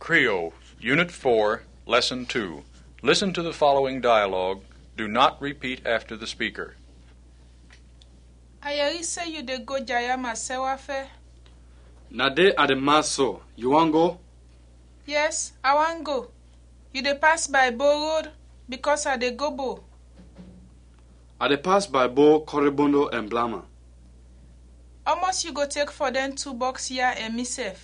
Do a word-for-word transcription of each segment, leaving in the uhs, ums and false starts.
Creole, Unit four, Lesson two. Listen to the following dialogue. Do not repeat after the speaker. A yɛri se yu de go Jayama sɛwafe. Na de a de mas so, yu won go? Yes, a won go. Yu de pas bay Bo rod, bikos a de go Bo. A de pas bay Bo, Koribondo ɛn Blama. Omos yu go tek fɔ dɛn tu bɔks ya ɛn misɛf?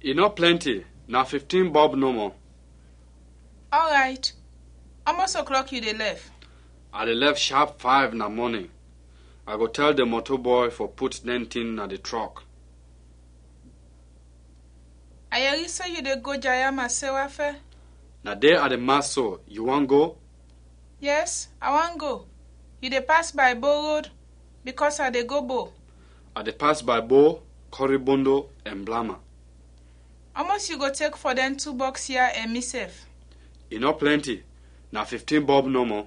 I nɔ plɛnti, na fiftin bɔb nɔmɔ. Ɔrayt. Omos oklɔk yu de lɛf? A de lɛf shap fayv na mɔnin. A go tɛl di moto bɔy fɔ put dɛn tin na di trɔk. A yɛri se yu de go Jayama sɛwafe. Na de a de mas so, yu won go? Yes, a won go. Yu de pas bay Bo rod, bikos a de go Bo. A de pas bay Bo, Koribondo ɛn Blama. Omos yu go tek fɔ dɛn tu bɔks ya ɛn misɛf? I nɔ plɛnti, na fiftin bɔb nɔmɔ.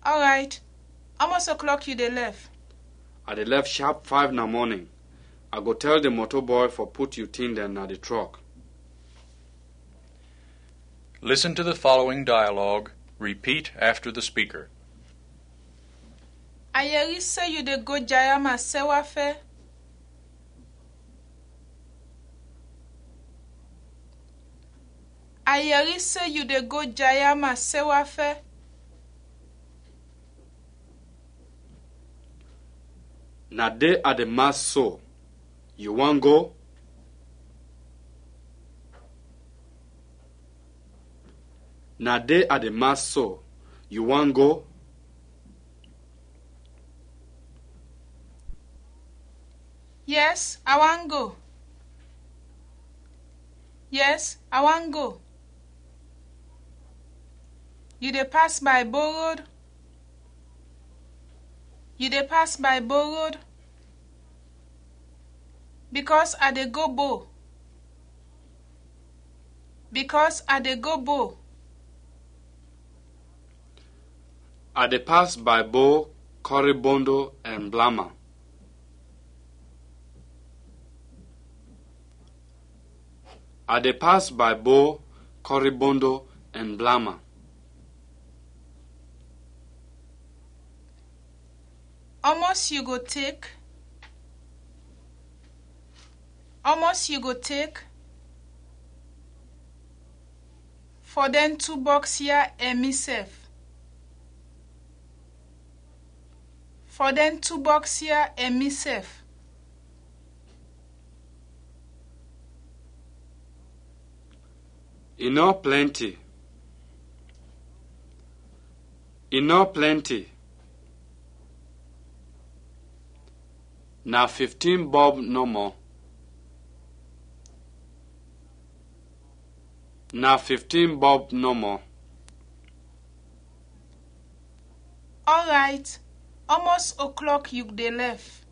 Ɔrayt. Omos oklɔk yu de lɛf? A de lɛf shap fayv na mɔnin. A go tɛl di moto bɔy fɔ put yu tin dɛn na di trɔk. Listen to the following dialogue. Repeat after the speaker. A yɛri se yu de go Jayama sɛwafe. A yɛri se yu de go Jayama sɛwafe. Na de a de mas so, yu won go? Na de a de mas so, yu won go? Yes, a won go. Yes, a won go. Yu de pas bay Bo rod? Yu de pas bay Bo rod? Bikos a de go Bo. Bikos a de go Bo. A de pas bay Bo, Koribondo ɛn Blama. A de pas bay Bo, Koribondo ɛn Blama. Omos yu go tek? Omos yu go tek fɔ dɛn tu bɔks ya ɛn misɛf? Fɔ dɛn tu bɔks ya ɛn misɛf? I nɔ plɛnti. I nɔ plɛnti. Na fiftin bɔb nɔmɔ. Na fiftin bɔb nɔmɔ. Ɔrayt, omos oklɔk yu de lɛf?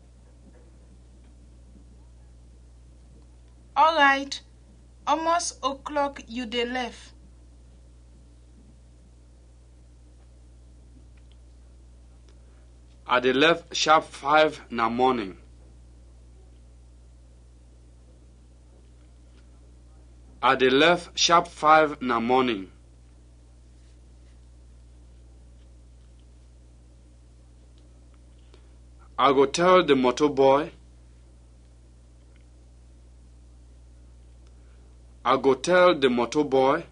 Ɔrayt, omos oklɔk yu de lɛf? A de lɛf shap fayv na mɔnin. A de lɛf shap fayv na mɔnin. A go tɛl di moto bɔy. A go tɛl di moto bɔy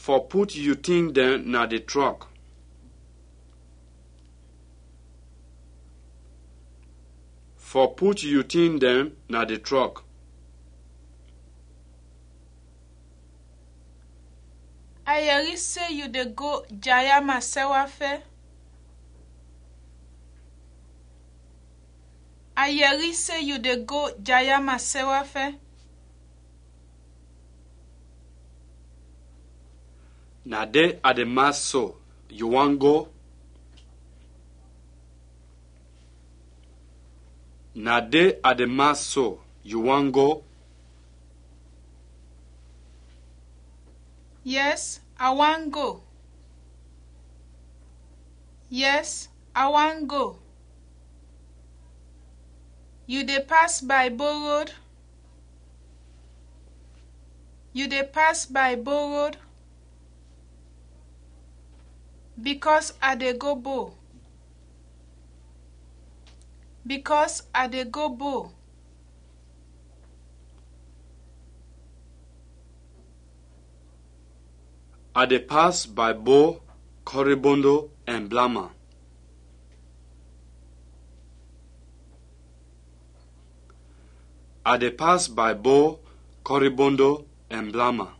fɔ put yu tin dɛn na di trɔk. Fɔ put yu tin dɛn na di trɔk. A yɛri se yu de go Jayama sɛwafe. A yɛri se yu de go Jayama sɛwafe. Na de a de mas so, yu won go? Na de a de mas so, yu won go? Yes, a won go. Yes, a won go. Yu de pas by Bo Road? Yu de pas by Bo Road? Bikɔs a de go Bo. Bikɔs a de go Bo. A de pas by Bo, Kɔribondo ɛn Blama. A de pas by Bo, Kɔribondo ɛn Blama.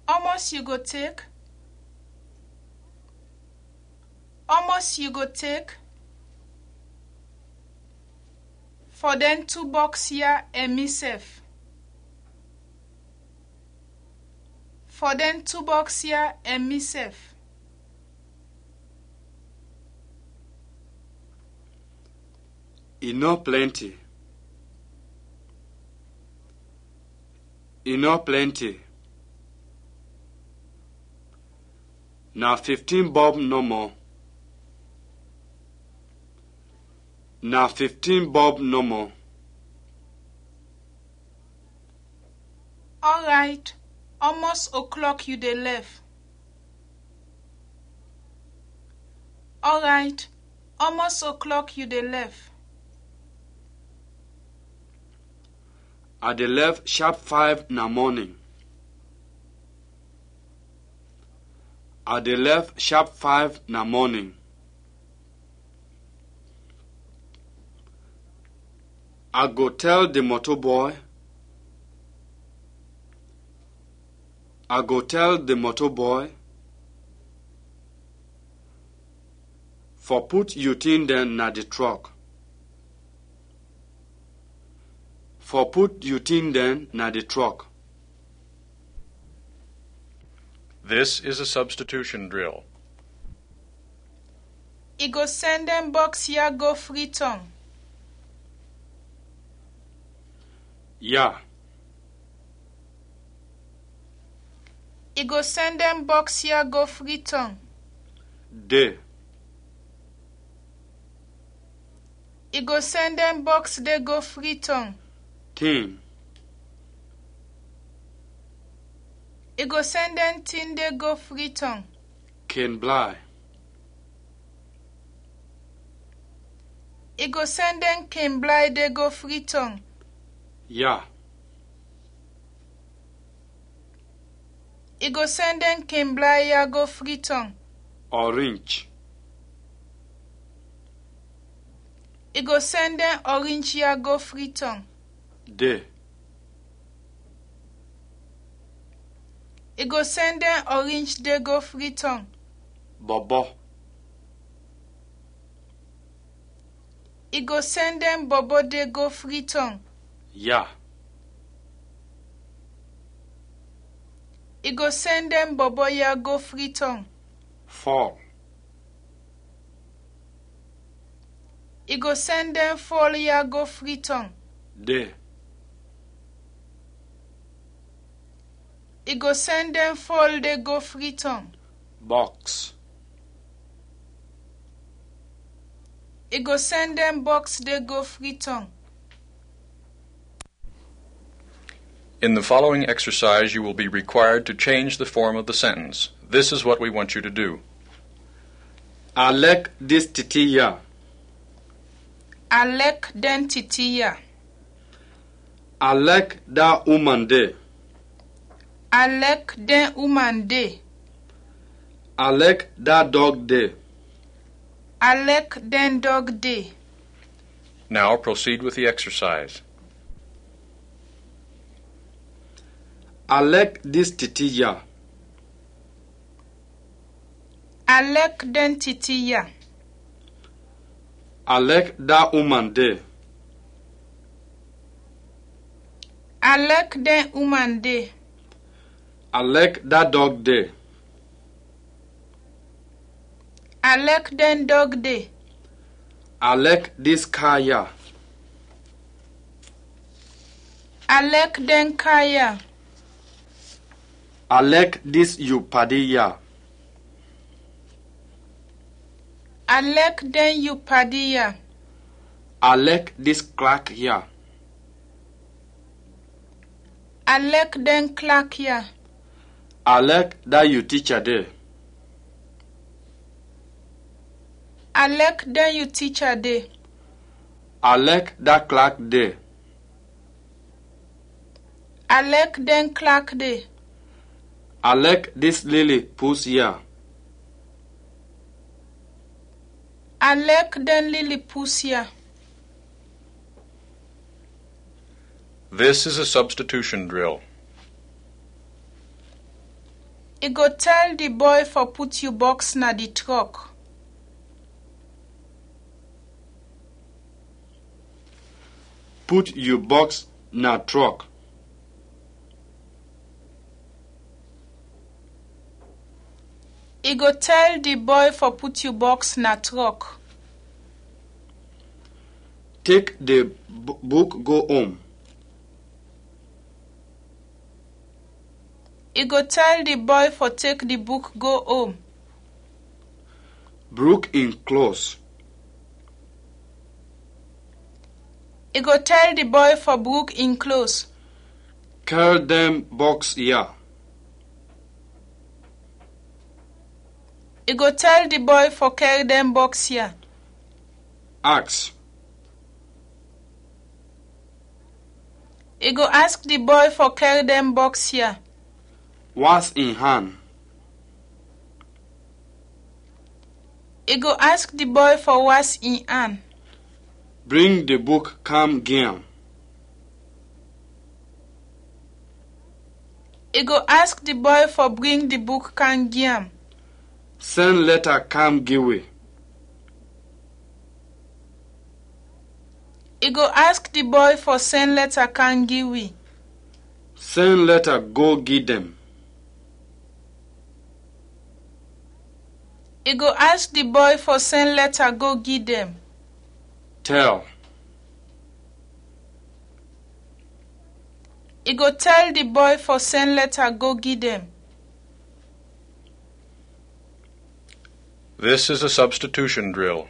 Omos yu go tek? Omos yu go tek? Fɔ dɛn tu bɔks ya ɛn misɛf. Fɔ dɛn tu bɔks ya ɛn misɛf. I nɔ plɛnti. I nɔ plɛnti. Na fiftin bɔb nɔmɔ. Na fiftin bɔb nɔmɔ. Ɔrayt, omos oklɔk yu de lɛf. Ɔrayt, omos oklɔk yu de lɛf. A de lɛf shap fayv na mɔnin. A de lɛf shap fayv na mɔnin. A go tɛl di mɔto bɔy. A go tɛl di mɔto bɔy. Fɔ put yu tin dɛn na di trɔk. Fɔ put yu tin dɛn na di trɔk. This is a substitution drill. I go sɛn dɛn bɔks ya go Fritɔng. Ya. I go sɛn dɛn bɔks ya go Fritɔng. De. I go sɛn dɛn bɔks de go Fritɔng. Tin. I go sɛn dɛn tin de go Fritɔng. Kenblay. I go sɛn dɛn kenblay de go Fritɔng. Ya. I go sɛn dɛn kenblay ya go Fritɔng. Ɔrinj. I go sɛn dɛn ɔrinj ya go Fritɔng. De. I go sɛn dɛn ɔrinj de go Fritɔng. Bɔbɔ. I go sɛn dɛn bɔbɔ de go Fritɔng. Ya. I go sɛn dɛn bɔbɔ ya go Fritɔng. Fɔl. I go sɛn dɛn fɔl ya go Fritɔng. De. I go sɛn dɛn fɔl de go Fritɔng. Bɔks. I go sɛn dɛn bɔks de go Fritɔng. In the following exercise, you will be required to change the form of the sentence. This is what we want you to do. A lɛk dis titi ya. A lɛk dɛn titi ya. A lɛk da uman de. A lɛk dɛn uman de. A lɛk da dɔg de. A lɛk dɛn dɔg de. Now proceed with the exercise. A lɛk dis titi ya. A lɛk dɛn titi ya. A lɛk da uman de. A lɛk dɛn uman de. A lɛk da dɔg de. A lɛk dɛn dɔg de. A lɛk dis ka ya. A lɛk dɛn ka ya. A lɛk dis yu padi ya. A lɛk dɛn yu padi ya. A lɛk dis klak ya. A lɛk dɛn klak ya. A lɛk da yu ticha de. A lɛk dɛn yu ticha de. A lɛk da klak de. A lɛk dɛn klak de. A lɛk dis lili pus ya. A lɛk dɛn lili pus ya. This is a substitution drill. I go tɛl di bɔy fɔ put yu bɔks na di trɔk. Put yu bɔks na trɔk. I go tɛl di bɔy fɔ put yu bɔks na trɔk. Tek di bu- buk go om. I go tɛl di bɔy fɔ tek di buk go om. Bruk in klos. I go tɛl di bɔy fɔ bruk in klos. Kɛr dɛn bɔks ya. I go tɛl di bɔy fɔ kɛr dɛn bɔks ya. Aks. I go ask di bɔy fɔ kɛr dɛn bɔks ya. Was in han. I go ask di bɔy fɔ was in an. Bring di buk kam gi am. I go ask di bɔy fɔ bring di buk kam gi am. Sɛn lɛta kam gi wi. I go ask di bɔy fɔ sɛn lɛta kam gi wi. Sɛn lɛta go gi dɛn. I go ask di bɔy fɔ sɛn lɛta go gi dɛn. Tɛl. I go tɛl di bɔy fɔ sɛn lɛta go gi dɛn. This is a substitution drill.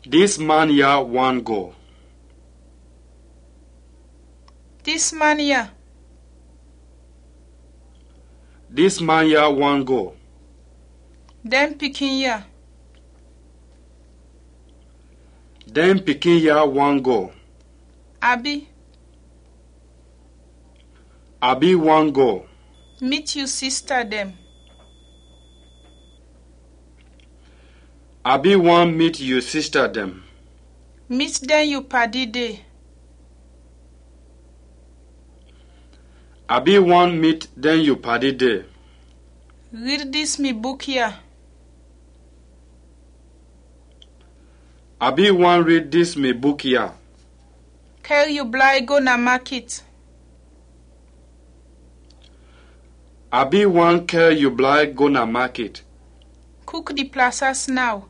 Dis man ya wan go. Dis man ya. Dis man ya wan go. Dɛn pikin ya. Dɛn pikin ya wan go. Abi. Abi wan go. Mit yu sista dɛn. Abi wan mit yu sista dɛn. Mit dɛn yu padi de. Abi wan mit dɛn yu padi de. Rid dis mi buk ya. Abi wan rid dis mi buk ya. Kɛr yu blay go na makit. Abi wan kɛr yu blay go na makit. Kuk di plasas naw.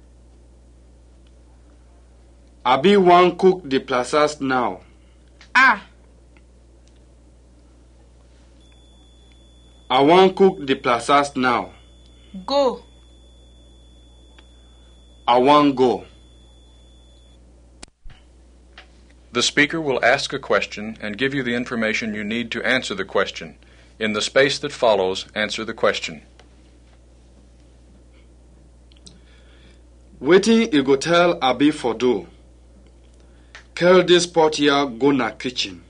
Abi wan kuk di plasas naw. A. A wan kuk di plasas naw. Go. A wan go. The speaker will ask a question and give you the information you need to answer the question. In the space that follows, answer the question. Wetin i go tɛl Abi fɔ du? Kɛr dis pɔt ya go na kichin.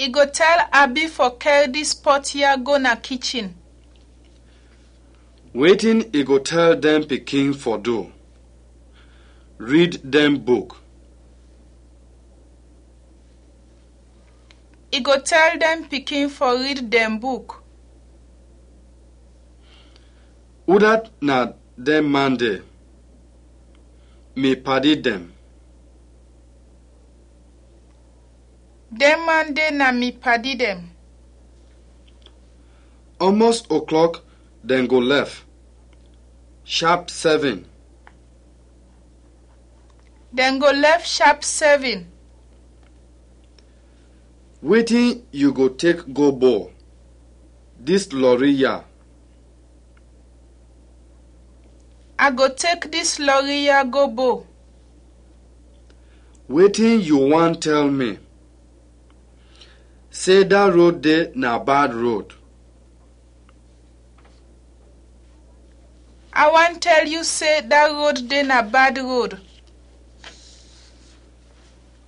I go tɛl Abi fɔ kɛr dis pɔt ya go na kichin. Wetin i go tɛl dɛn pikin fɔ du? Rid dɛn buk. I go tɛl dɛn pikin fɔ rid dɛn buk. Udat na dɛn man de? Mi padi dɛn. Dɛn man de na mi padi dɛn. Almost o'clock, dɛn go lɛf. Sharp seven. Dɛn go lɛf sharp seven. Wetin yu go tek go bɔl? dis lɔri ya. A go tek dis lɔri ya go Bo. Wetin yu want tell mi? Se da rod de na bad rod. A want tell yu se da rod de na bad rod.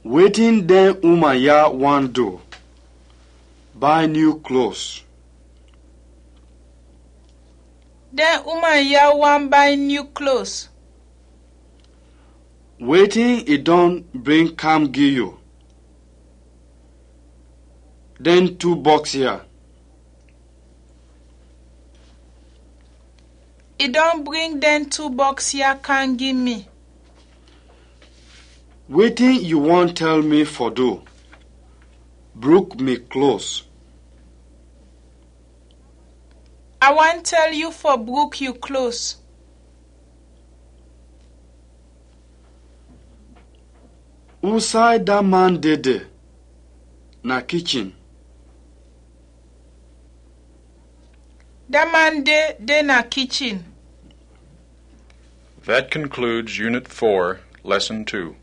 Wetin dɛn uman ya want do? Bay new klos. Dɛn uman ya want bay new klos. Wetin i dɔn bring kam gi yu? Dɛn tu bɔks ya. I dɔn bring dɛn tu bɔks ya kam gi mi. Wetin yu want tell mi fɔ du? Bruk mi klos. A want tell yu fɔ bruk yu klos. Usay da man de de? Na kichin. Da man de de na kichin. That concludes Unit four, Lesson two.